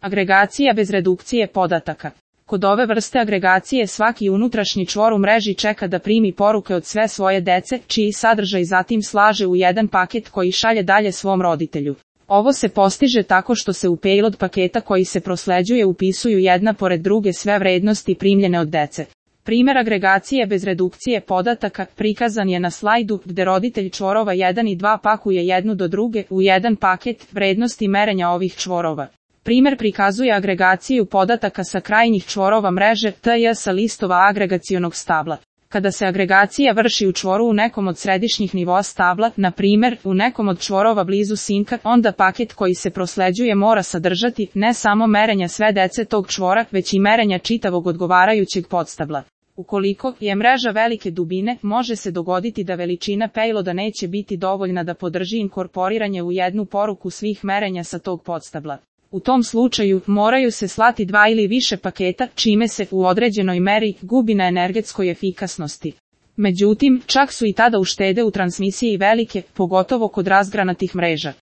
Agregacija bez redukcije podataka. Kod ove vrste agregacije svaki unutrašnji čvor u mreži čeka da primi poruke od sve svoje dece, čiji sadržaj zatim slaže u jedan paket koji šalje dalje svom roditelju. Ovo se postiže tako što se u payload paketa koji se prosleđuje upisuju jedna pored druge sve vrednosti primljene od dece. Primjer agregacije bez redukcije podataka prikazan je na slajdu gde roditelj čvorova 1 i 2 pakuje jednu do druge u jedan paket vrednosti merenja ovih čvorova. Primjer prikazuje agregaciju podataka sa krajnjih čvorova mreže TJ sa listova agregacionog stabla. Kada se agregacija vrši u čvoru u nekom od središnjih nivoa stabla, na primjer u nekom od čvorova blizu sinka, onda paket koji se prosleđuje mora sadržati ne samo merenja sve dece tog čvora, već i merenja čitavog odgovarajućeg podstabla. Ukoliko je mreža velike dubine, može se dogoditi da veličina payloada neće biti dovoljna da podrži inkorporiranje u jednu poruku svih merenja sa tog podstabla. U tom slučaju moraju se slati 2 ili više paketa, čime se u određenoj meri gubi na energetskoj efikasnosti. Međutim, čak su i tada uštede u transmisiji velike, pogotovo kod razgranatih mreža.